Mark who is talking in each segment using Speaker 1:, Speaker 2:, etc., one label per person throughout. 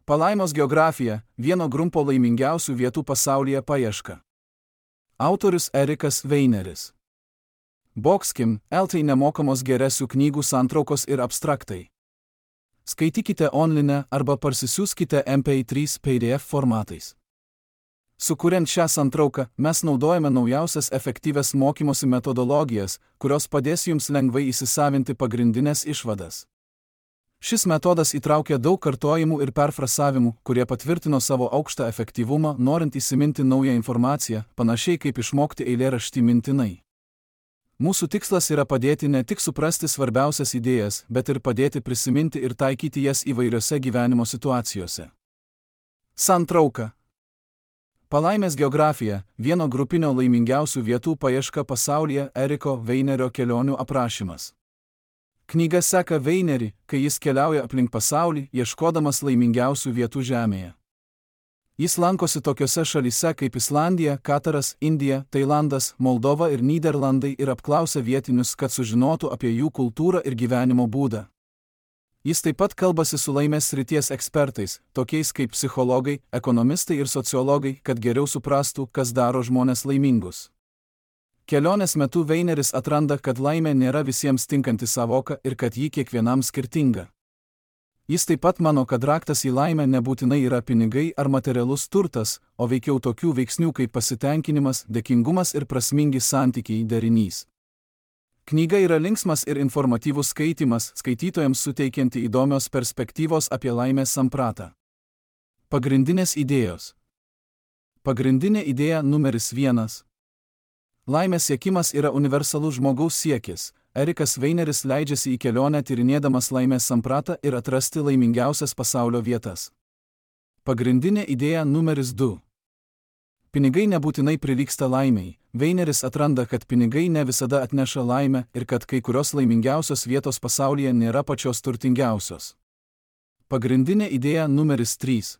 Speaker 1: Palaimos geografija – vieno grumpo laimingiausių vietų pasaulyje paieška. Autorius Erikas Weineris. Boxkim, LT nemokamos geresių knygų santraukos ir abstraktai. Skaitykite online arba parsisiųskite MP3 PDF formatais. Sukuriant šią santrauką, mes naudojame naujausias efektyvias mokymosi metodologijas, kurios padės jums lengvai įsisavinti pagrindinės išvadas. Šis metodas įtraukia daug kartojimų ir perfrasavimų, kurie patvirtino savo aukštą efektyvumą, norint įsiminti naują informaciją, panašiai kaip išmokti eilėraštį mintinai. Mūsų tikslas yra padėti ne tik suprasti svarbiausias idėjas, bet ir padėti prisiminti ir taikyti jas įvairiose gyvenimo situacijose. Santrauka. Palaimės geografija – vieno grupinio laimingiausių vietų paieška pasaulyje Eriko Weinerio kelionių aprašymas. Knyga seka Weinerį, kai jis keliauja aplink pasaulį, ieškodamas laimingiausių vietų Žemėje. Jis lankosi tokiose šalyse kaip Islandija, Kataras, Indija, Tailandas, Moldova ir Nyderlandai ir apklausia vietinius, kad sužinotų apie jų kultūrą ir gyvenimo būdą. Jis taip pat kalbasi su laimės srities ekspertais, tokiais kaip psichologai, ekonomistai ir sociologai, kad geriau suprastų, kas daro žmones laimingus. Kelionės metu Weineris atranda, kad laimė nėra visiems tinkanti savoka ir kad ji kiekvienam skirtinga. Jis taip pat mano, kad raktas į laimę nebūtinai yra pinigai ar materialus turtas, o veikiau tokių veiksnių kaip pasitenkinimas, dėkingumas ir prasmingi santykiai derinys. Knyga yra linksmas ir informatyvus skaitymas, skaitytojams suteikianti įdomios perspektyvos apie laimės sampratą. Pagrindinės idėjos. Pagrindinė idėja numeris 1. Laimės siekimas yra universalus žmogaus siekis. Erikas Weineris leidžiasi į kelionę tyrinėdamas laimės sampratą ir atrasti laimingiausias pasaulio vietas. Pagrindinė idėja numeris 2. Pinigai nebūtinai prilygsta laimei. Weineris atranda, kad pinigai ne visada atneša laimę ir kad kai kurios laimingiausios vietos pasaulyje nėra pačios turtingiausios. Pagrindinė idėja numeris 3.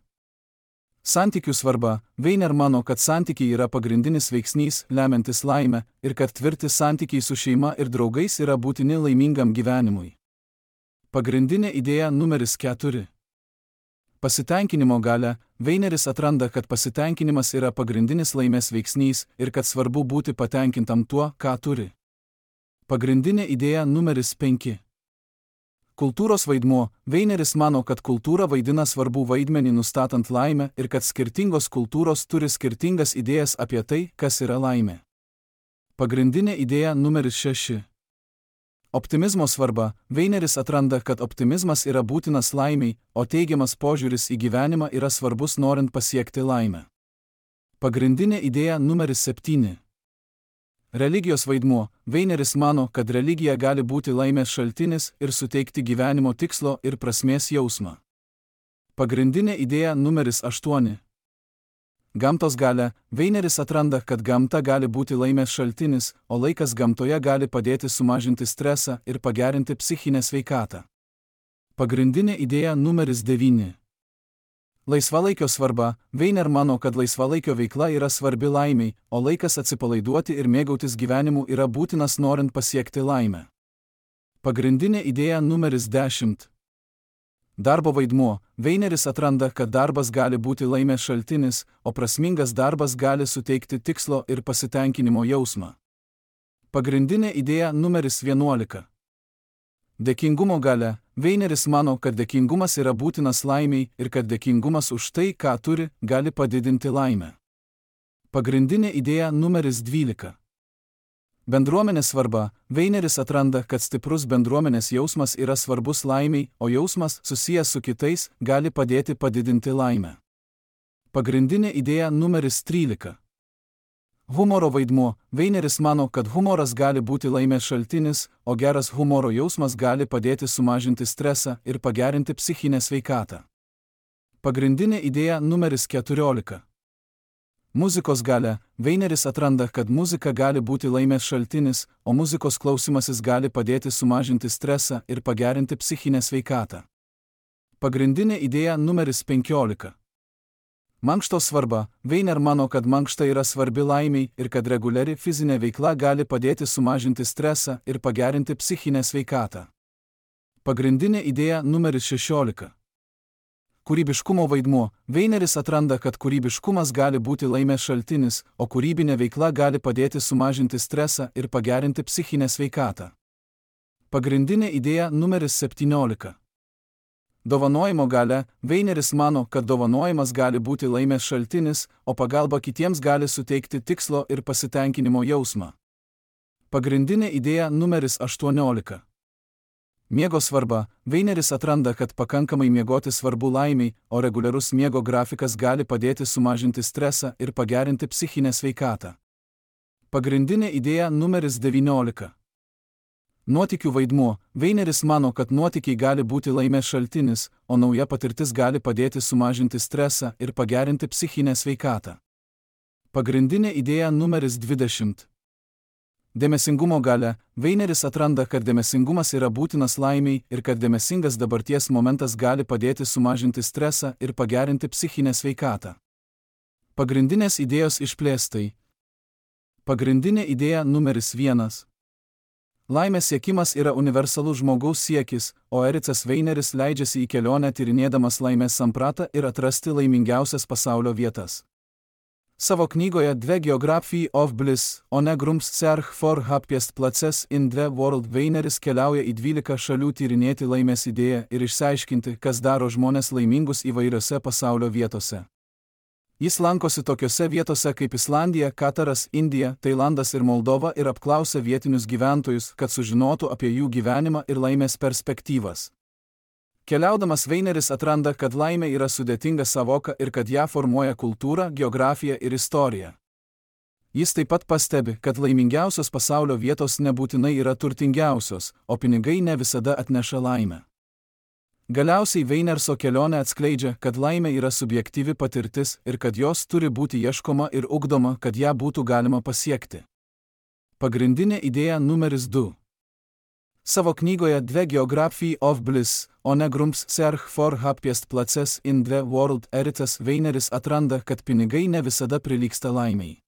Speaker 1: Santykių svarba. Weiner mano, kad santykiai yra pagrindinis veiksnys, lemiantis laimę, ir kad tvirti santykiai su šeima ir draugais yra būtini laimingam gyvenimui. Pagrindinė idėja numeris 4. Pasitenkinimo galia. Weineris atranda, kad pasitenkinimas yra pagrindinis laimės veiksnys ir kad svarbu būti patenkintam tuo, ką turi. Pagrindinė idėja numeris 5. Kultūros vaidmuo. Weineris mano, kad kultūra vaidina svarbų vaidmenį nustatant laimę ir kad skirtingos kultūros turi skirtingas idėjas apie tai, kas yra laimė. Pagrindinė idėja numeris 6. Optimizmo svarba. Weineris atranda, kad optimizmas yra būtinas laimei, o teigiamas požiūris į gyvenimą yra svarbus norint pasiekti laimę. Pagrindinė idėja numeris 7. Religijos vaidmuo. Weineris mano, kad religija gali būti laimės šaltinis ir suteikti gyvenimo tikslo ir prasmės jausmą. Pagrindinė idėja numeris 8. Gamtos galia. Weineris atranda, kad gamta gali būti laimės šaltinis, o laikas gamtoje gali padėti sumažinti stresą ir pagerinti psichinę sveikatą. Pagrindinė idėja numeris 9. Laisvalaikio svarba. Weiner mano, kad laisvalaikio veikla yra svarbi laimei, o laikas atsipalaiduoti ir mėgautis gyvenimu yra būtinas norint pasiekti laimę. Pagrindinė idėja numeris 10. Darbo vaidmuo. Weineris atranda, kad darbas gali būti laimės šaltinis, o prasmingas darbas gali suteikti tikslo ir pasitenkinimo jausmą. Pagrindinė idėja numeris 11. Dėkingumo galia. Weineris mano, kad dėkingumas yra būtinas laimei ir kad dėkingumas už tai, ką turi, gali padidinti laimę. Pagrindinė idėja numeris 12. Bendruomenės svarba. Weineris atranda, kad stiprus bendruomenės jausmas yra svarbus laimei, o jausmas, susijęs su kitais, gali padėti padidinti laimę. Pagrindinė idėja numeris 13. Humoro vaidmuo. Weineris mano, kad humoras gali būti laimės šaltinis, o geras humoro jausmas gali padėti sumažinti stresą ir pagerinti psichinę sveikatą. Pagrindinė idėja numeris 14. Muzikos galia. Weineris atranda, kad muzika gali būti laimės šaltinis, o muzikos klausymasis gali padėti sumažinti stresą ir pagerinti psichinę sveikatą. Pagrindinė idėja numeris 15. Mankštos svarba. Weiner mano, kad mankšta yra svarbi laimei ir kad reguliari fizinė veikla gali padėti sumažinti stresą ir pagerinti psichinę sveikatą. Pagrindinė idėja numeris 16. Kūrybiškumo vaidmuo. Weineris atranda, kad kūrybiškumas gali būti laimės šaltinis, o kūrybinė veikla gali padėti sumažinti stresą ir pagerinti psichinę sveikatą. Pagrindinė idėja numeris 17. Dovanojimo galia. Weineris mano, kad dovanojimas gali būti laimės šaltinis, o pagalba kitiems gali suteikti tikslo ir pasitenkinimo jausmą. Pagrindinė idėja numeris 18. Miego svarba. Weineris atranda, kad pakankamai miegoti svarbu laimiai, o reguliarus miego grafikas gali padėti sumažinti stresą ir pagerinti psichinę sveikatą. Pagrindinė idėja numeris 19. Nuotykių vaidmuo. Weineris mano, kad nuotykiai gali būti laimės šaltinis, o nauja patirtis gali padėti sumažinti stresą ir pagerinti psichinę sveikatą. Pagrindinė idėja numeris 20. Dėmesingumo galia. Weineris atranda, kad dėmesingumas yra būtinas laimiai ir kad dėmesingas dabarties momentas gali padėti sumažinti stresą ir pagerinti psichinę sveikatą. Pagrindinės idėjos išplėstai. Pagrindinė idėja numeris 1. Laimės siekimas yra universalus žmogaus siekis, o Ericas Weineris leidžiasi į kelionę tyrinėdamas laimės sampratą ir atrasti laimingiausias pasaulio vietas. Savo knygoje The Geography of Bliss, on a Grumps Search for Happiest Places in the World Weineris keliauja į 12 šalių tyrinėti laimės idėją ir išsiaiškinti, kas daro žmones laimingus įvairiose pasaulio vietose. Jis lankosi tokiose vietose kaip Islandija, Kataras, Indija, Tailandas ir Moldova ir apklausia vietinius gyventojus, kad sužinotų apie jų gyvenimą ir laimės perspektyvas. Keliaudamas Weineris atranda, kad laimė yra sudėtinga savoka ir kad ją formuoja kultūra, geografija ir istorija. Jis taip pat pastebi, kad laimingiausios pasaulio vietos nebūtinai yra turtingiausios, o pinigai ne visada atneša laimę. Galiausiai Weinerso kelionė atskleidžia, kad laimė yra subjektyvi patirtis ir kad jos turi būti ieškoma ir ugdoma, kad ją būtų galima pasiekti. Pagrindinė idėja numeris 2. Savo knygoje The Geography of Bliss, on a Grumps Search for Happiest Places in the World Ericas Weineris atranda, kad pinigai ne visada prilygsta laimei.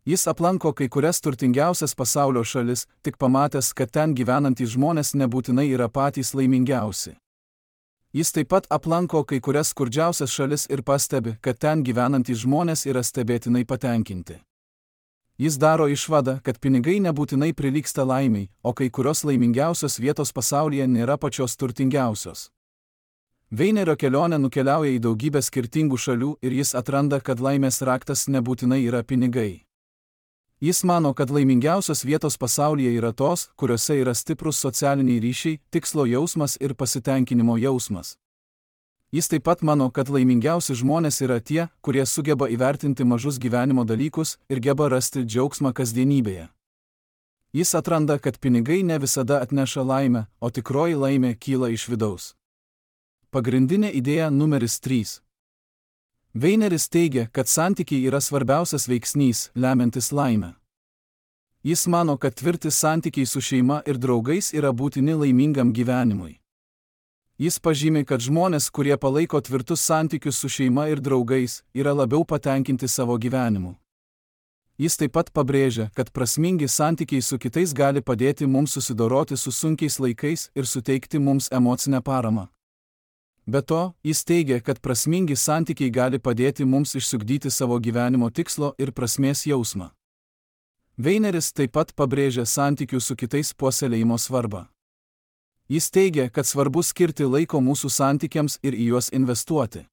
Speaker 1: Jis aplanko kai kurias turtingiausias pasaulio šalis, tik pamatęs, kad ten gyvenantys žmonės nebūtinai yra patys laimingiausi. Jis taip pat aplanko kai kurias skurdžiausias šalis ir pastebi, kad ten gyvenantys žmonės yra stebėtinai patenkinti. Jis daro išvadą, kad pinigai nebūtinai prilygsta laimiai, o kai kurios laimingiausios vietos pasaulyje nėra pačios turtingiausios. Weinerio kelionė nukeliauja į daugybę skirtingų šalių ir jis atranda, kad laimės raktas nebūtinai yra pinigai. Jis mano, kad laimingiausios vietos pasaulyje yra tos, kuriuose yra stiprus socialiniai ryšiai, tikslo jausmas ir pasitenkinimo jausmas. Jis taip pat mano, kad laimingiausi žmonės yra tie, kurie sugeba įvertinti mažus gyvenimo dalykus ir geba rasti džiaugsmą kasdienybėje. Jis atranda, kad pinigai ne visada atneša laimę, o tikroji laimė kyla iš vidaus. Pagrindinė idėja numeris 3. Weineris teigia, kad santykiai yra svarbiausias veiksnys, lemiantis laimę. Jis mano, kad tvirti santykiai su šeima ir draugais yra būtini laimingam gyvenimui. Jis pažymi, kad žmonės, kurie palaiko tvirtus santykius su šeima ir draugais, yra labiau patenkinti savo gyvenimu. Jis taip pat pabrėžia, kad prasmingi santykiai su kitais gali padėti mums susidoroti su sunkiais laikais ir suteikti mums emocinę paramą. Be to, jis teigia, kad prasmingi santykiai gali padėti mums išsiugdyti savo gyvenimo tikslo ir prasmės jausmą. Weineris taip pat pabrėžia santykių su kitais puoselėjimo svarbą. Jis teigia, kad svarbu skirti laiko mūsų santykiams ir į juos investuoti.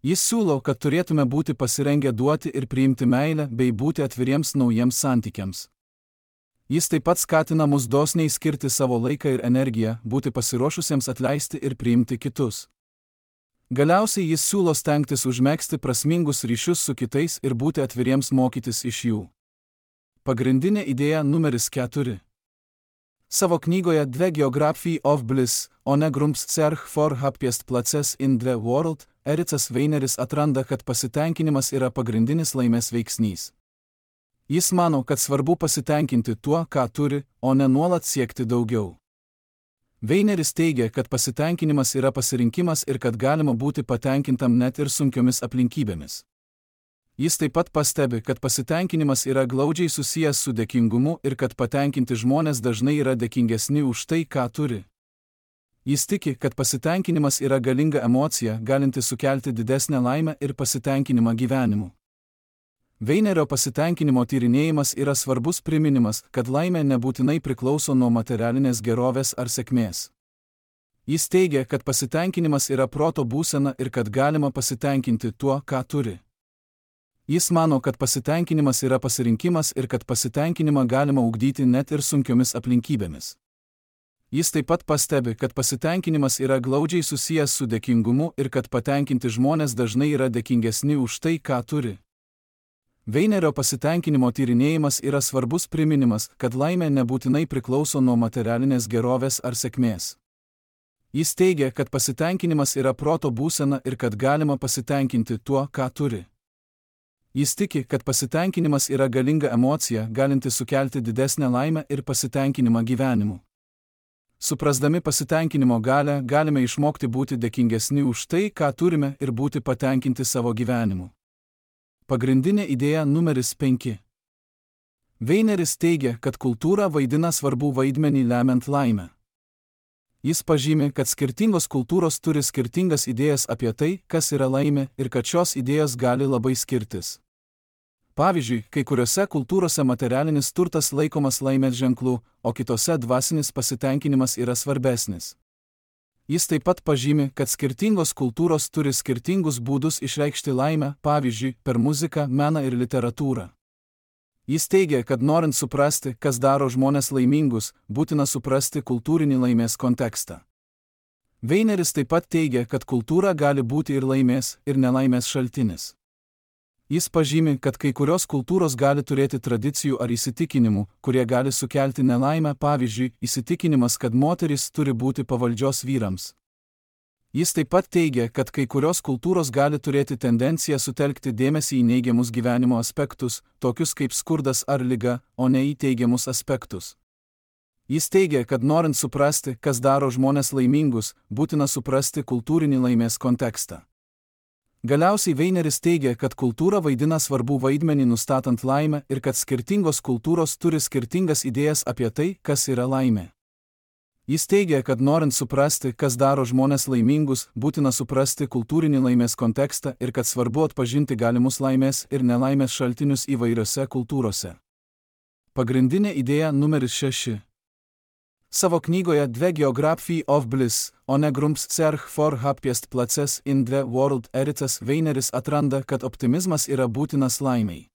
Speaker 1: Jis siūlo, kad turėtume būti pasirengę duoti ir priimti meilę bei būti atviriems naujiems santykiams. Jis taip pat skatina mus dosniai skirti savo laiką ir energiją, būti pasiruošusiems atleisti ir priimti kitus. Galiausiai jis siūlo stengtis užmegzti prasmingus ryšius su kitais ir būti atviriems mokytis iš jų. Pagrindinė idėja numeris 4. Savo knygoje The Geography of Bliss, on a Grumps Search for Happiest Places in the World, Ericas Weineris atranda, kad pasitenkinimas yra pagrindinis laimės veiksnys. Jis mano, kad svarbu pasitenkinti tuo, ką turi, o ne nuolat siekti daugiau. Weineris teigia, kad pasitenkinimas yra pasirinkimas ir kad galima būti patenkintam net ir sunkiomis aplinkybėmis. Jis taip pat pastebi, kad pasitenkinimas yra glaudžiai susijęs su dėkingumu ir kad patenkinti žmonės dažnai yra dėkingesni už tai, ką turi. Jis tiki, kad pasitenkinimas yra galinga emocija, galinti sukelti didesnę laimę ir pasitenkinimą gyvenimu. Veinerio pasitenkinimo tyrinėjimas yra svarbus priminimas, kad laimė nebūtinai priklauso nuo materialinės gerovės ar sėkmės. Jis teigia, kad pasitenkinimas yra proto būsena ir kad galima pasitenkinti tuo, ką turi. Jis mano, kad pasitenkinimas yra pasirinkimas ir kad pasitenkinimą galima ugdyti net ir sunkiomis aplinkybėmis. Jis taip pat pastebi, kad pasitenkinimas yra glaudžiai susijęs su dėkingumu ir kad patenkinti žmonės dažnai yra dėkingesni už tai, ką turi. Veinerio pasitenkinimo tyrinėjimas yra svarbus priminimas, kad laimė nebūtinai priklauso nuo materialinės gerovės ar sėkmės. Jis teigia, kad pasitenkinimas yra proto būsena ir kad galima pasitenkinti tuo, ką turi. Jis tiki, kad pasitenkinimas yra galinga emocija, galinti sukelti didesnę laimę ir pasitenkinimą gyvenimu. Suprasdami pasitenkinimo galią, galime išmokti būti dėkingesni už tai, ką turime ir būti patenkinti savo gyvenimu. Pagrindinė idėja numeris 5. Veineris teigia, kad kultūra vaidina svarbų vaidmenį lemiant laimę. Jis pažymi, kad skirtingos kultūros turi skirtingas idėjas apie tai, kas yra laimė, ir kad šios idėjos gali labai skirtis. Pavyzdžiui, kai kuriuose kultūrose materialinis turtas laikomas laimės ženklu, o kitose dvasinis pasitenkinimas yra svarbesnis. Jis taip pat pažymi, kad skirtingos kultūros turi skirtingus būdus išreikšti laimę, pavyzdžiui, per muziką, meną ir literatūrą. Jis teigia, kad norint suprasti, kas daro žmones laimingus, būtina suprasti kultūrinį laimės kontekstą. Veineris taip pat teigia, kad kultūra gali būti ir laimės, ir nelaimės šaltinis. Jis pažymi, kad kai kurios kultūros gali turėti tradicijų ar įsitikinimų, kurie gali sukelti nelaimę, pavyzdžiui, įsitikinimas, kad moterys turi būti pavaldžios vyrams. Jis taip pat teigia, kad kai kurios kultūros gali turėti tendenciją sutelkti dėmesį į neigiamus gyvenimo aspektus, tokius kaip skurdas ar liga, o ne į teigiamus aspektus. Jis teigia, kad norint suprasti, kas daro žmones laimingus, būtina suprasti kultūrinį laimės kontekstą. Galiausiai Veineris teigia, kad kultūra vaidina svarbų vaidmenį nustatant laimę ir kad skirtingos kultūros turi skirtingas idėjas apie tai, kas yra laimė. Jis teigia, kad norint suprasti, kas daro žmones laimingus, būtina suprasti kultūrinį laimės kontekstą ir kad svarbu atpažinti galimus laimės ir nelaimės šaltinius įvairiose kultūrose. Pagrindinė idėja numeris 6. Savo knygoje The Geography of Bliss, on a Grumps Search for Happiest Places in the World Eritas Veineris atranda, kad optimizmas yra būtinas laimei.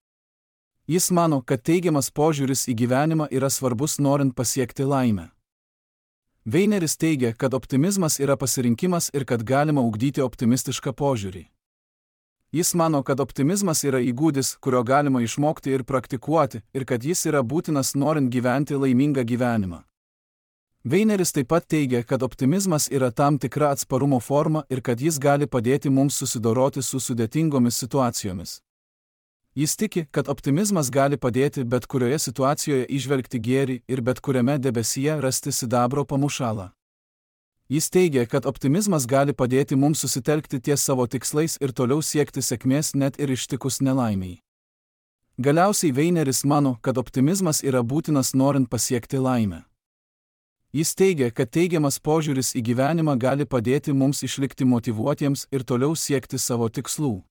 Speaker 1: Jis mano, kad teigiamas požiūris į gyvenimą yra svarbus norint pasiekti laimę. Veineris teigia, kad optimizmas yra pasirinkimas ir kad galima ugdyti optimistišką požiūrį. Jis mano, kad optimizmas yra įgūdis, kurio galima išmokti ir praktikuoti, ir kad jis yra būtinas norint gyventi laimingą gyvenimą. Veineris taip pat teigia, kad optimizmas yra tam tikra atsparumo forma ir kad jis gali padėti mums susidoroti su sudėtingomis situacijomis. Jis tiki, kad optimizmas gali padėti bet kurioje situacijoje įžvelgti gėrį ir bet kuriame debesyje rasti sidabro pamušalą. Jis teigia, kad optimizmas gali padėti mums susitelkti ties savo tikslais ir toliau siekti sėkmės net ir ištikus nelaimiai. Galiausiai Veineris mano, kad optimizmas yra būtinas norint pasiekti laimę. Jis teigia, kad teigiamas požiūris į gyvenimą gali padėti mums išlikti motyvuotiems ir toliau siekti savo tikslų.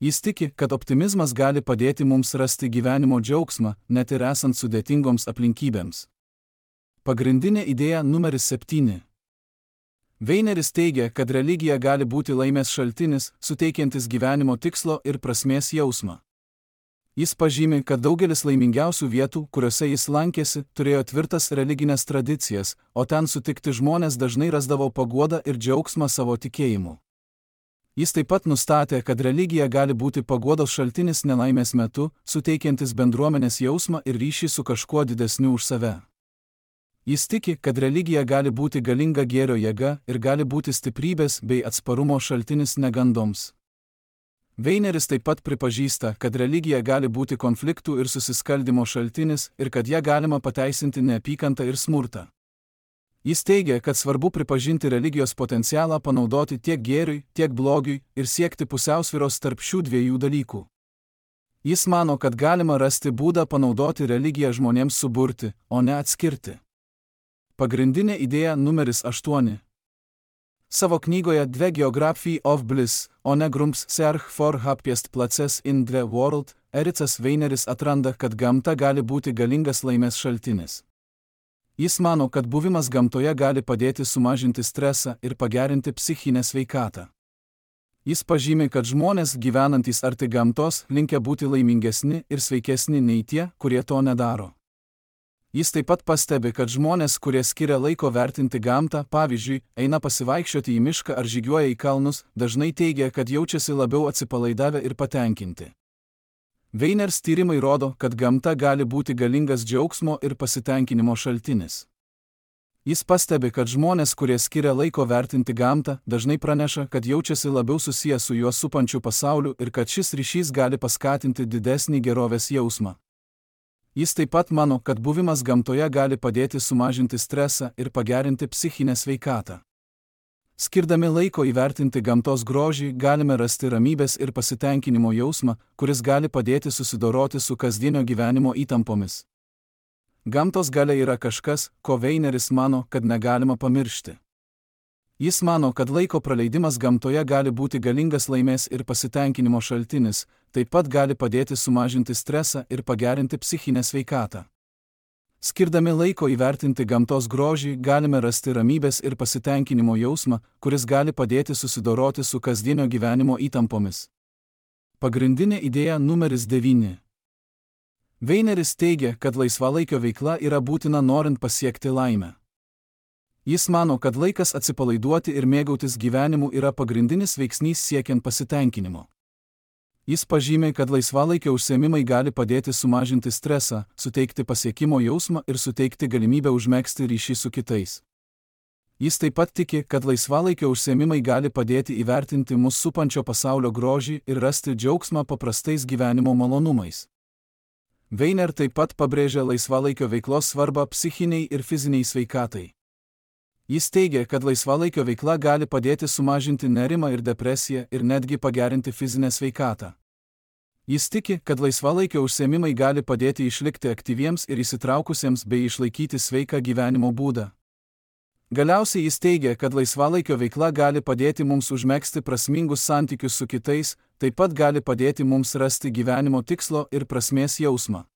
Speaker 1: Jis tiki, kad optimizmas gali padėti mums rasti gyvenimo džiaugsmą, net ir esant sudėtingoms aplinkybėms. Pagrindinė idėja numeris 7. Veineris teigia, kad religija gali būti laimės šaltinis, suteikiantis gyvenimo tikslo ir prasmės jausmą. Jis pažymi, kad daugelis laimingiausių vietų, kuriuose jis lankėsi, turėjo tvirtas religinės tradicijas, o ten sutikti žmonės dažnai rasdavo paguodą ir džiaugsmą savo tikėjimu. Jis taip pat nustatė, kad religija gali būti paguodos šaltinis nelaimės metu, suteikiantis bendruomenės jausmą ir ryšį su kažkuo didesniu už save. Jis tiki, kad religija gali būti galinga gėrio jėga ir gali būti stiprybės bei atsparumo šaltinis negandoms. Veineris taip pat pripažįsta, kad religija gali būti konfliktų ir susiskaldimo šaltinis ir kad ją galima pateisinti neapykantą ir smurtą. Jis teigia, kad svarbu pripažinti religijos potencialą panaudoti tiek gėriui, tiek blogiui ir siekti pusiausvyros tarp šių dviejų dalykų. Jis mano, kad galima rasti būdą panaudoti religiją žmonėms suburti, o ne atskirti. Pagrindinė idėja numeris 8. Savo knygoje The Geography of Bliss, o ne Grumps Search for Happiest Places in the World, Ericas Weineris atranda, kad gamta gali būti galingas laimės šaltinis. Jis mano, kad buvimas gamtoje gali padėti sumažinti stresą ir pagerinti psichinę sveikatą. Jis pažymi, kad žmonės gyvenantys arti gamtos linkę būti laimingesni ir sveikesni nei tie, kurie to nedaro. Jis taip pat pastebi, kad žmonės, kurie skiria laiko vertinti gamtą, pavyzdžiui, eina pasivaikščioti į mišką ar žygiuoja į kalnus, dažnai teigia, kad jaučiasi labiau atsipalaidavę ir patenkinti. Weiners tyrimai rodo, kad gamta gali būti galingas džiaugsmo ir pasitenkinimo šaltinis. Jis pastebi, kad žmonės, kurie skiria laiko vertinti gamtą, dažnai praneša, kad jaučiasi labiau susiję su juos supančiu pasauliu ir kad šis ryšys gali paskatinti didesnį gerovės jausmą. Jis taip pat mano, kad buvimas gamtoje gali padėti sumažinti stresą ir pagerinti psichinę sveikatą. Skirdami laiko įvertinti gamtos grožį, galime rasti ramybės ir pasitenkinimo jausmą, kuris gali padėti susidoroti su kasdienio gyvenimo įtampomis. Gamtos galia yra kažkas, ko Weineris mano, kad negalima pamiršti. Jis mano, kad laiko praleidimas gamtoje gali būti galingas laimės ir pasitenkinimo šaltinis, taip pat gali padėti sumažinti stresą ir pagerinti psichinę sveikatą. Skirdami laiko įvertinti gamtos grožį, galime rasti ramybės ir pasitenkinimo jausmą, kuris gali padėti susidoroti su kasdienio gyvenimo įtampomis. Pagrindinė idėja numeris 9. Weineris teigia, kad laisvalaikio veikla yra būtina norint pasiekti laimę. Jis mano, kad laikas atsipalaiduoti ir mėgautis gyvenimu yra pagrindinis veiksnys siekiant pasitenkinimo. Jis pažymė, kad laisvalaikio užsiėmimai gali padėti sumažinti stresą, suteikti pasiekimo jausmą ir suteikti galimybę užmegzti ryšį su kitais. Jis taip pat tiki, kad laisvalaikio užsiėmimai gali padėti įvertinti mus supančio pasaulio grožį ir rasti džiaugsmą paprastais gyvenimo malonumais. Weiner taip pat pabrėžia laisvalaikio veiklos svarbą psichiniai ir fiziniai sveikatai. Jis teigia, kad laisvalaikio veikla gali padėti sumažinti nerimą ir depresiją ir netgi pagerinti fizinę sveikatą. Jis tiki, kad laisvalaikio užsiėmimai gali padėti išlikti aktyviems ir įsitraukusiems bei išlaikyti sveiką gyvenimo būdą. Galiausiai jis teigia, kad laisvalaikio veikla gali padėti mums užmegzti prasmingus santykius su kitais, taip pat gali padėti mums rasti gyvenimo tikslo ir prasmės jausmą.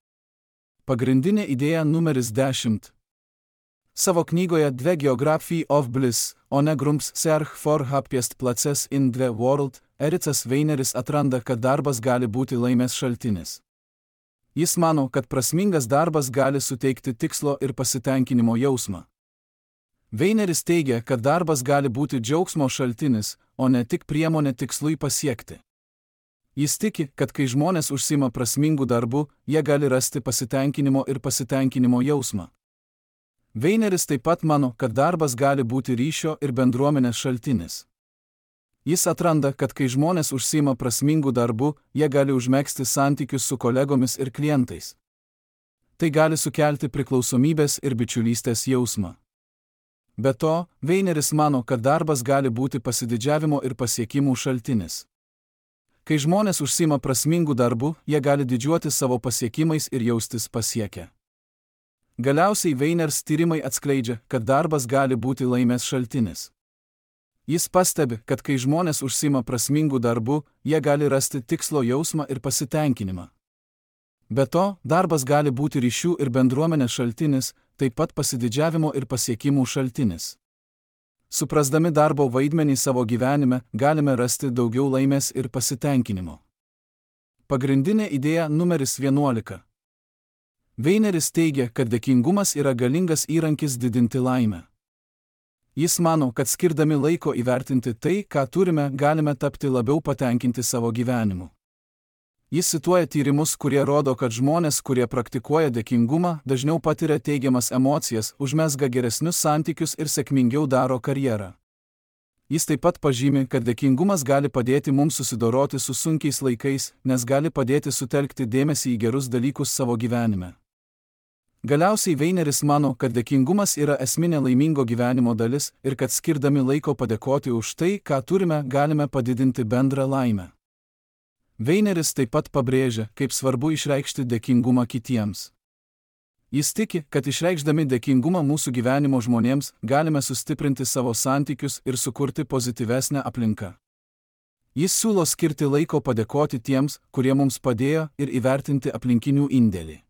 Speaker 1: Pagrindinė idėja numeris 10. Savo knygoje The Geography of Bliss, o ne Grumps Search for Happiest Places in the World, Ericas Weineris atranda, kad darbas gali būti laimės šaltinis. Jis mano, kad prasmingas darbas gali suteikti tikslo ir pasitenkinimo jausmą. Weineris teigia, kad darbas gali būti džiaugsmo šaltinis, o ne tik priemonė tikslui pasiekti. Jis tiki, kad kai žmonės užsiima prasmingų darbų, jie gali rasti pasitenkinimo ir pasitenkinimo jausmą. Weineris taip pat mano, kad darbas gali būti ryšio ir bendruomenės šaltinis. Jis atranda, kad kai žmonės užsiima prasmingų darbų, jie gali užmegzti santykius su kolegomis ir klientais. Tai gali sukelti priklausomybės ir bičiulystės jausmą. Be to, Weineris mano, kad darbas gali būti pasididžiavimo ir pasiekimų šaltinis. Kai žmonės užsiima prasmingų darbų, jie gali didžiuotis savo pasiekimais ir jaustis pasiekę. Galiausiai Weiners tyrimai atskleidžia, kad darbas gali būti laimės šaltinis. Jis pastebi, kad kai žmonės užsiima prasmingų darbų, jie gali rasti tikslo jausmą ir pasitenkinimą. Be to, darbas gali būti ryšių ir bendruomenės šaltinis, taip pat pasididžiavimo ir pasiekimų šaltinis. Suprasdami darbo vaidmenį savo gyvenime, galime rasti daugiau laimės ir pasitenkinimo. Pagrindinė idėja numeris 11. Weineris teigia, kad dėkingumas yra galingas įrankis didinti laimę. Jis mano, kad skirdami laiko įvertinti tai, ką turime, galime tapti labiau patenkinti savo gyvenimu. Jis cituoja tyrimus, kurie rodo, kad žmonės, kurie praktikuoja dėkingumą, dažniau patiria teigiamas emocijas, užmezga geresnius santykius ir sėkmingiau daro karjerą. Jis taip pat pažymi, kad dėkingumas gali padėti mums susidoroti su sunkiais laikais, nes gali padėti sutelkti dėmesį į gerus dalykus savo gyvenime. Galiausiai Weineris mano, kad dėkingumas yra esminė laimingo gyvenimo dalis ir kad skirdami laiko padėkoti už tai, ką turime, galime padidinti bendrą laimę. Weineris taip pat pabrėžia, kaip svarbu išreikšti dėkingumą kitiems. Jis tiki, kad išreikšdami dėkingumą mūsų gyvenimo žmonėms galime sustiprinti savo santykius ir sukurti pozityvesnę aplinką. Jis siūlo skirti laiko padėkoti tiems, kurie mums padėjo, ir įvertinti aplinkinių indėlį.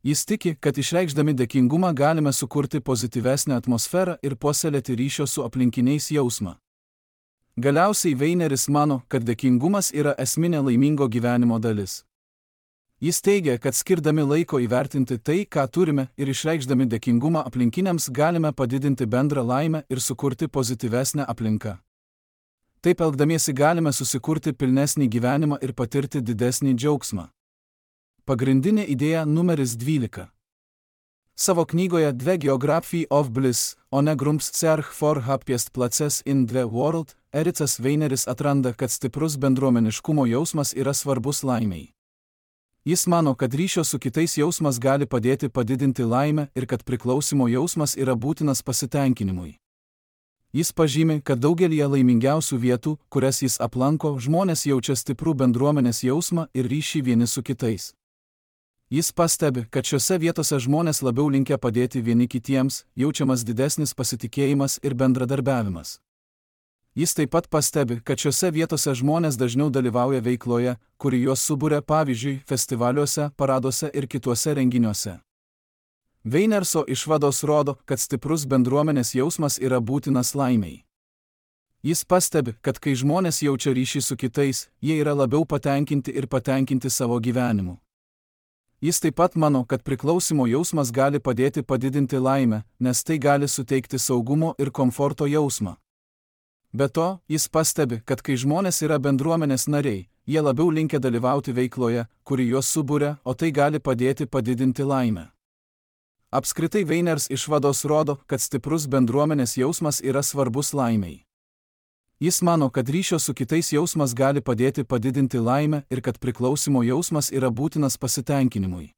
Speaker 1: Jis tiki, kad išreikšdami dėkingumą galime sukurti pozityvesnę atmosferą ir puoselėti ryšio su aplinkiniais jausmą. Galiausiai Weineris mano, kad dėkingumas yra esminė laimingo gyvenimo dalis. Jis teigia, kad skirdami laiko įvertinti tai, ką turime, ir išreikšdami dėkingumą aplinkiniams galime padidinti bendrą laimę ir sukurti pozityvesnę aplinką. Taip elgdamiesi galime susikurti pilnesnį gyvenimą ir patirti didesnį džiaugsmą. Pagrindinė idėja numeris 12. Savo knygoje The Geography of Bliss, ohne Grundzerch for Happiest Places in the World, Ericas Weineris atranda, kad stiprus bendruomeniškumo jausmas yra svarbus laimei. Jis mano, kad ryšio su kitais jausmas gali padėti padidinti laimę ir kad priklausimo jausmas yra būtinas pasitenkinimui. Jis pažymi, kad daugelį laimingiausių vietų, kurias jis aplanko, žmonės jaučia stiprų bendruomenės jausmą ir ryšį vieni su kitais. Jis pastebi, kad šiose vietose žmonės labiau linkę padėti vieni kitiems, jaučiamas didesnis pasitikėjimas ir bendradarbiavimas. Jis taip pat pastebi, kad šiose vietose žmonės dažniau dalyvauja veikloje, kuri juos suburia, pavyzdžiui, festivaliuose, paraduose ir kituose renginiuose. Weinerso išvados rodo, kad stiprus bendruomenės jausmas yra būtinas laimei. Jis pastebi, kad kai žmonės jaučia ryšį su kitais, jie yra labiau patenkinti ir patenkinti savo gyvenimu. Jis taip pat mano, kad priklausimo jausmas gali padėti padidinti laimę, nes tai gali suteikti saugumo ir komforto jausmą. Be to, jis pastebi, kad kai žmonės yra bendruomenės nariai, jie labiau linkę dalyvauti veikloje, kuri juos suburia, o tai gali padėti padidinti laimę. Apskritai Weiners išvados rodo, kad stiprus bendruomenės jausmas yra svarbus laimei. Jis mano, kad ryšio su kitais jausmas gali padėti padidinti laimę ir kad priklausimo jausmas yra būtinas pasitenkinimui.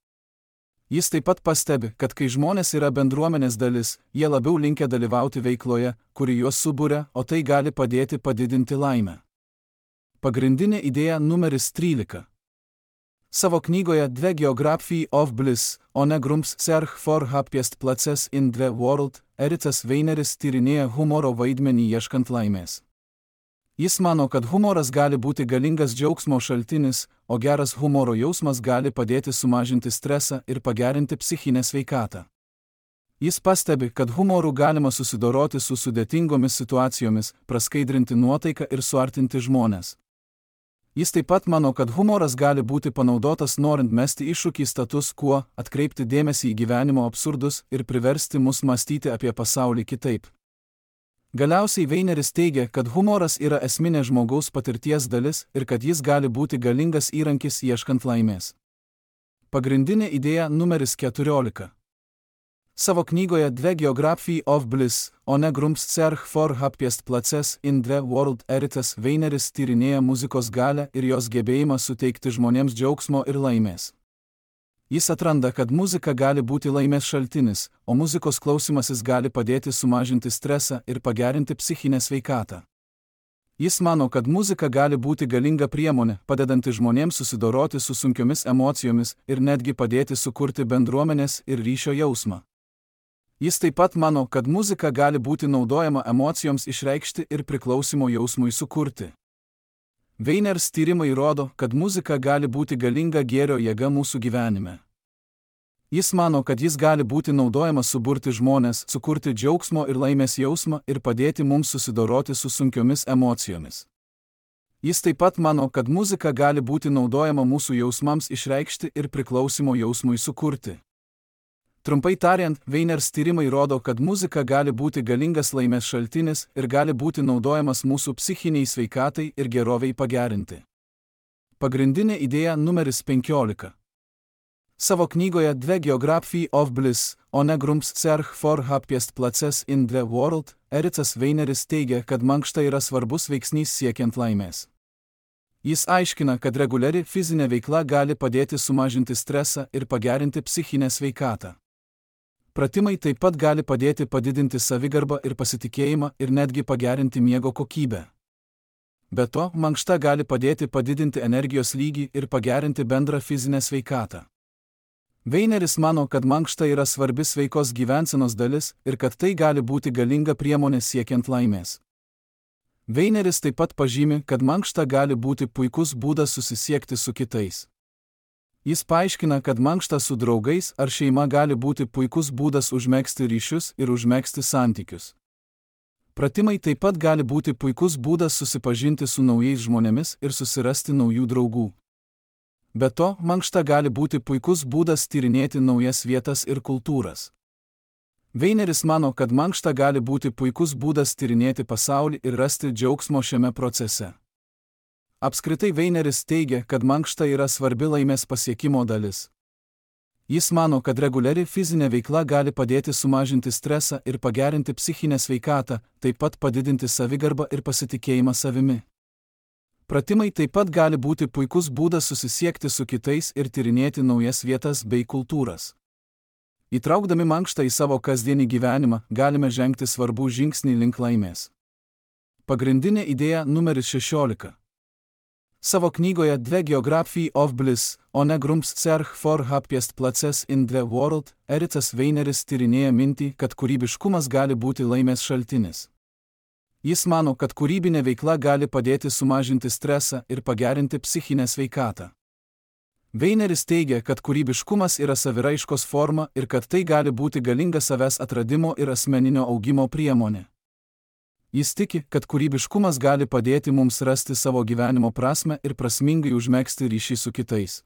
Speaker 1: Jis taip pat pastebi, kad kai žmonės yra bendruomenės dalis, jie labiau linkę dalyvauti veikloje, kuri juos suburia, o tai gali padėti padidinti laimę. Pagrindinė idėja numeris 13. Savo knygoje The Geography of Bliss, ohne Grundzerch for Happiest Places in the World, Ericas Weineris tyrinėja humoro vaidmenį ieškant laimės. Jis mano, kad humoras gali būti galingas džiaugsmo šaltinis, o geras humoro jausmas gali padėti sumažinti stresą ir pagerinti psichinę sveikatą. Jis pastebi, kad humoru galima susidoroti su sudėtingomis situacijomis, praskaidrinti nuotaiką ir suartinti žmones. Jis taip pat mano, kad humoras gali būti panaudotas norint mesti iššūkį status quo, atkreipti dėmesį į gyvenimo absurdus ir priversti mus mąstyti apie pasaulį kitaip. Galiausiai Weineris teigia, kad humoras yra esminė žmogaus patirties dalis ir kad jis gali būti galingas įrankis ieškant laimės. Pagrindinė idėja numeris 14. Savo knygoje The Geography of Bliss, ohne Grundzerch for Happiest Places in the World, Ericas Weineris tyrinėja muzikos galią ir jos gebėjimą suteikti žmonėms džiaugsmo ir laimės. Jis atranda, kad muzika gali būti laimės šaltinis, o muzikos klausymasis gali padėti sumažinti stresą ir pagerinti psichinę sveikatą. Jis mano, kad muzika gali būti galinga priemonė, padedanti žmonėms susidoroti su sunkiomis emocijomis ir netgi padėti sukurti bendruomenės ir ryšio jausmą. Jis taip pat mano, kad muzika gali būti naudojama emocijoms išreikšti ir priklausimo jausmui sukurti. Weiners tyrimai rodo, kad muzika gali būti galinga gėrio jėga mūsų gyvenime. Jis mano, kad jis gali būti naudojamas suburti žmones, sukurti džiaugsmo ir laimės jausmą ir padėti mums susidoroti su sunkiomis emocijomis. Jis taip pat mano, kad muzika gali būti naudojama mūsų jausmams išreikšti ir priklausimo jausmui sukurti. Trumpai tariant, Weiners tyrimai rodo, kad muzika gali būti galingas laimės šaltinis ir gali būti naudojamas mūsų psichiniai sveikatai ir geroviai pagerinti. Pagrindinė idėja numeris 15. Savo knygoje The Geography of Bliss, ohne Grundzerch for Happiest Places in the World, Ericas Weineris teigia, kad mankšta yra svarbus veiksnys siekiant laimės. Jis aiškina, kad reguliari fizinė veikla gali padėti sumažinti stresą ir pagerinti psichinę sveikatą. Pratimai taip pat gali padėti padidinti savigarbą ir pasitikėjimą ir netgi pagerinti miego kokybę. Be to, mankšta gali padėti padidinti energijos lygį ir pagerinti bendrą fizinę sveikatą. Weineris mano, kad mankšta yra svarbi sveikos gyvensenos dalis ir kad tai gali būti galinga priemonė siekiant laimės. Weineris taip pat pažymi, kad mankšta gali būti puikus būdas susisiekti su kitais. Jis paaiškina, kad mankšta su draugais ar šeima gali būti puikus būdas užmegzti ryšius ir užmegzti santykius. Pratimai taip pat gali būti puikus būdas susipažinti su naujais žmonėmis ir susirasti naujų draugų. Be to, mankšta gali būti puikus būdas tyrinėti naujas vietas ir kultūras. Weineris mano, kad mankšta gali būti puikus būdas tyrinėti pasaulį ir rasti džiaugsmo šiame procese. Apskritai Weineris teigia, kad mankšta yra svarbi laimės pasiekimo dalis. Jis mano, kad reguliari fizinė veikla gali padėti sumažinti stresą ir pagerinti psichinę sveikatą, taip pat padidinti savigarbą ir pasitikėjimą savimi. Pratimai taip pat gali būti puikus būdas susisiekti su kitais ir tyrinėti naujas vietas bei kultūras. Įtraukdami mankštą į savo kasdienį gyvenimą, galime žengti svarbų žingsnį link laimės. Pagrindinė idėja numeris 16. Savo knygoje The Geography of Bliss, on a Grumps Search for Happiest Places in the World, Erikas Weineris tyrinėja mintį, kad kūrybiškumas gali būti laimės šaltinis. Jis mano, kad kūrybinė veikla gali padėti sumažinti stresą ir pagerinti psichinę sveikatą. Weineris teigia, kad kūrybiškumas yra saviraiškos forma ir kad tai gali būti galinga savęs atradimo ir asmeninio augimo priemonė. Jis tiki, kad kūrybiškumas gali padėti mums rasti savo gyvenimo prasmę ir prasmingai užmegzti ryšį su kitais.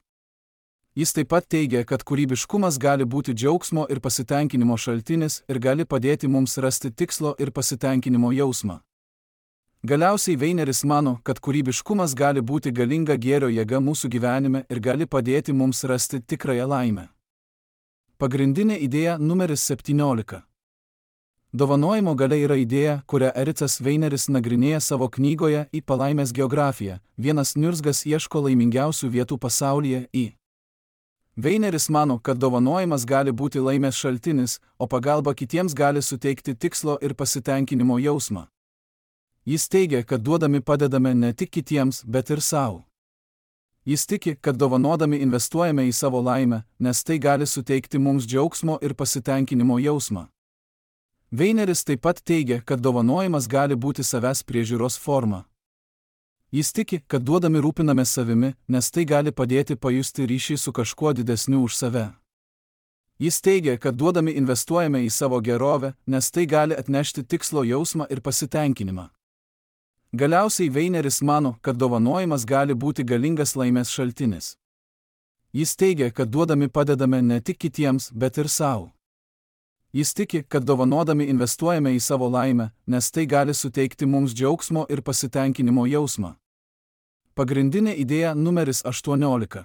Speaker 1: Jis taip pat teigia, kad kūrybiškumas gali būti džiaugsmo ir pasitenkinimo šaltinis ir gali padėti mums rasti tikslo ir pasitenkinimo jausmą. Galiausiai Weineris mano, kad kūrybiškumas gali būti galinga gėrio jėga mūsų gyvenime ir gali padėti mums rasti tikrąją laimę. Pagrindinė idėja numeris 17. Dovanojimo galia yra idėja, kurią Erikas Weineris nagrinėja savo knygoje Į palaimės geografiją. Vienas niurzgas ieško laimingiausių vietų pasaulyje į. Weineris mano, kad dovanojimas gali būti laimės šaltinis, o pagalba kitiems gali suteikti tikslo ir pasitenkinimo jausmą. Jis teigia, kad duodami padedame ne tik kitiems, bet ir savo. Jis tiki, kad dovanodami investuojame į savo laimę, nes tai gali suteikti mums džiaugsmo ir pasitenkinimo jausmą. Weineris taip pat teigia, kad dovanojimas gali būti savęs priežiūros forma. Jis tiki, kad duodami rūpinamės savimi, nes tai gali padėti pajusti ryšį su kažkuo didesniu už save. Jis teigia, kad duodami investuojame į savo gerovę, nes tai gali atnešti tikslo jausmą ir pasitenkinimą. Galiausiai Weineris mano, kad dovanojimas gali būti galingas laimės šaltinis. Jis teigia, kad duodami padedame ne tik kitiems, bet ir savo. Jis tiki, kad dovanodami investuojame į savo laimę, nes tai gali suteikti mums džiaugsmo ir pasitenkinimo jausmą. Pagrindinė idėja numeris 18.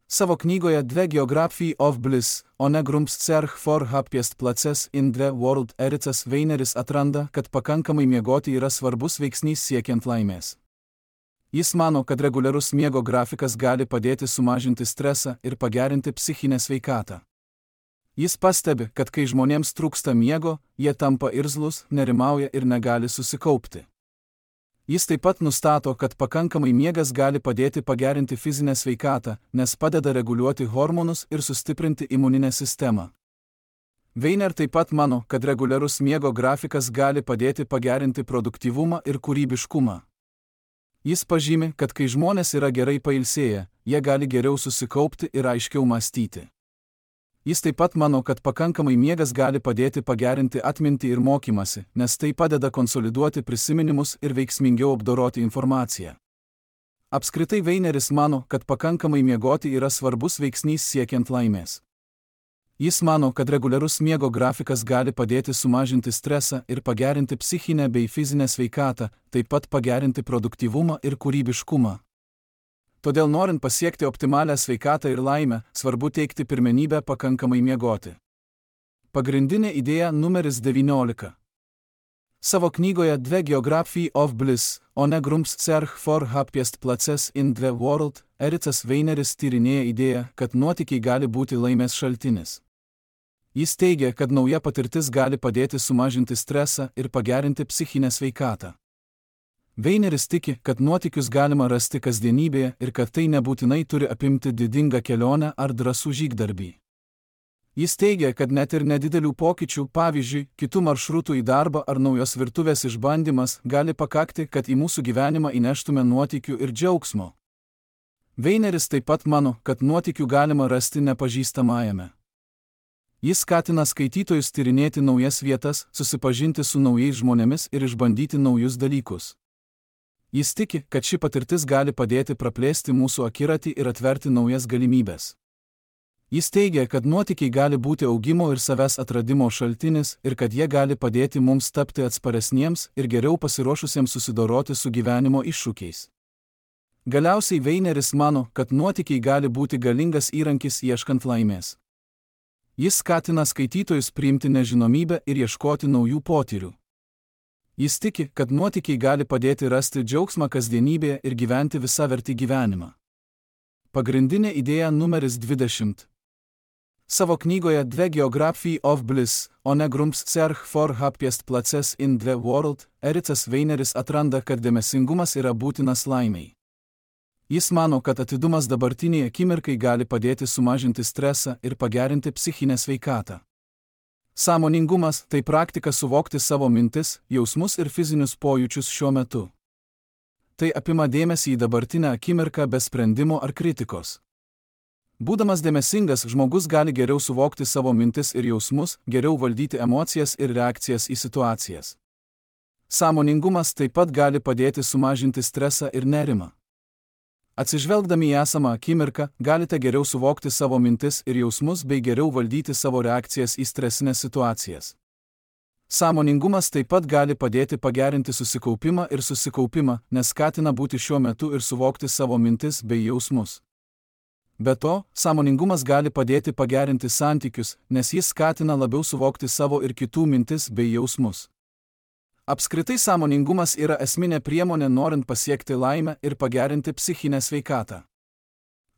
Speaker 1: Savo knygoje The Geography of Bliss, on a Grumps Search for Happiest Places in the World, Erikas Weineris atranda, kad pakankamai miegoti yra svarbus veiksnys siekiant laimės. Jis mano, kad reguliarus miego grafikas gali padėti sumažinti stresą ir pagerinti psichinę sveikatą. Jis pastebi, kad kai žmonėms trūksta miego, jie tampa irzlūs, nerimauja ir negali susikaupti. Jis taip pat nustato, kad pakankamai miegas gali padėti pagerinti fizinę sveikatą, nes padeda reguliuoti hormonus ir sustiprinti imuninę sistemą. Weiner taip pat mano, kad reguliarus miego grafikas gali padėti pagerinti produktyvumą ir kūrybiškumą. Jis pažymi, kad kai žmonės yra gerai pailsėję, jie gali geriau susikaupti ir aiškiau mąstyti. Jis taip pat mano, kad pakankamai miegas gali padėti pagerinti atmintį ir mokymasi, nes tai padeda konsoliduoti prisiminimus ir veiksmingiau apdoroti informaciją. Apskritai Weineris mano, kad pakankamai miegoti yra svarbus veiksnys siekiant laimės. Jis mano, kad reguliarus miego grafikas gali padėti sumažinti stresą ir pagerinti psichinę bei fizinę sveikatą, taip pat pagerinti produktyvumą ir kūrybiškumą. Todėl norint pasiekti optimalią sveikatą ir laimę, svarbu teikti pirmenybę pakankamai miegoti. Pagrindinė idėja numeris 19. Savo knygoje The Geography of Bliss, on a Grumps Search for Happiest Places in the World, Erikas Weineris tyrinėja idėją, kad nuotykiai gali būti laimės šaltinis. Jis teigia, kad nauja patirtis gali padėti sumažinti stresą ir pagerinti psichinę sveikatą. Weineris tiki, kad nuotykius galima rasti kasdienybėje ir kad tai nebūtinai turi apimti didingą kelionę ar drąsų žygdarbį. Jis teigia, kad net ir nedidelių pokyčių, pavyzdžiui, kitų maršrutų į darbą ar naujos virtuvės išbandymas, gali pakakti, kad į mūsų gyvenimą įneštume nuotykių ir džiaugsmo. Weineris taip pat mano, kad nuotykių galima rasti nepažįstamajame. Jis skatina skaitytojus tyrinėti naujas vietas, susipažinti su naujais žmonėmis ir išbandyti naujus dalykus. Jis tiki, kad ši patirtis gali padėti praplėsti mūsų akiratį ir atverti naujas galimybes. Jis teigia, kad nuotykiai gali būti augimo ir savęs atradimo šaltinis ir kad jie gali padėti mums tapti atsparesniems ir geriau pasiruošusiems susidoroti su gyvenimo iššūkiais. Galiausiai Weineris mano, kad nuotykiai gali būti galingas įrankis ieškant laimės. Jis skatina skaitytojus priimti nežinomybę ir ieškoti naujų potyrių. Jis tiki, kad nuotykiai gali padėti rasti džiaugsmą kasdienybėje ir gyventi visavertį gyvenimą. Pagrindinė idėja numeris 20. Savo knygoje The Geography of Bliss, on a Grumps Search for Happiest Places in the World, Ericas Weineris atranda, kad dėmesingumas yra būtinas laimei. Jis mano, kad atidumas dabartiniai akimirkai gali padėti sumažinti stresą ir pagerinti psichinę sveikatą. Sąmoningumas – tai praktika suvokti savo mintis, jausmus ir fizinius pojūčius šiuo metu. Tai apima dėmesį į dabartinę akimirką be sprendimo ar kritikos. Būdamas dėmesingas, žmogus gali geriau suvokti savo mintis ir jausmus, geriau valdyti emocijas ir reakcijas į situacijas. Sąmoningumas taip pat gali padėti sumažinti stresą ir nerimą. Atsižvelgdami į esamą akimirką, galite geriau suvokti savo mintis ir jausmus bei geriau valdyti savo reakcijas į stresinės situacijas. Sąmoningumas taip pat gali padėti pagerinti susikaupimą ir susikaupimą, nes skatina būti šiuo metu ir suvokti savo mintis bei jausmus. Be to, sąmoningumas gali padėti pagerinti santykius, nes jis skatina labiau suvokti savo ir kitų mintis bei jausmus. Apskritai sąmoningumas yra esminė priemonė norint pasiekti laimę ir pagerinti psichinę sveikatą.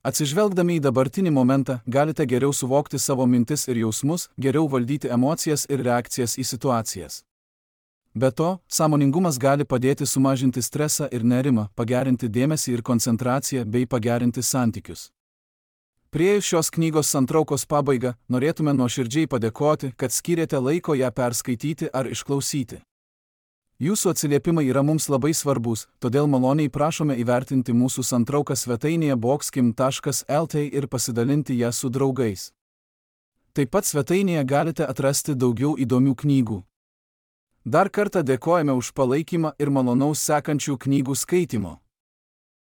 Speaker 1: Atsižvelgdami į dabartinį momentą, galite geriau suvokti savo mintis ir jausmus, geriau valdyti emocijas ir reakcijas į situacijas. Be to, sąmoningumas gali padėti sumažinti stresą ir nerimą, pagerinti dėmesį ir koncentraciją bei pagerinti santykius. Priėjus šios knygos santraukos pabaigą, norėtume nuoširdžiai padėkoti, kad skyrėte laiko ją perskaityti ar išklausyti. Jūsų atsiliepimai yra mums labai svarbus, todėl maloniai prašome įvertinti mūsų santrauką svetainėje boxkim.lt ir pasidalinti ją su draugais. Taip pat svetainėje galite atrasti daugiau įdomių knygų. Dar kartą dėkojame už palaikymą ir malonaus sekančių knygų skaitimo.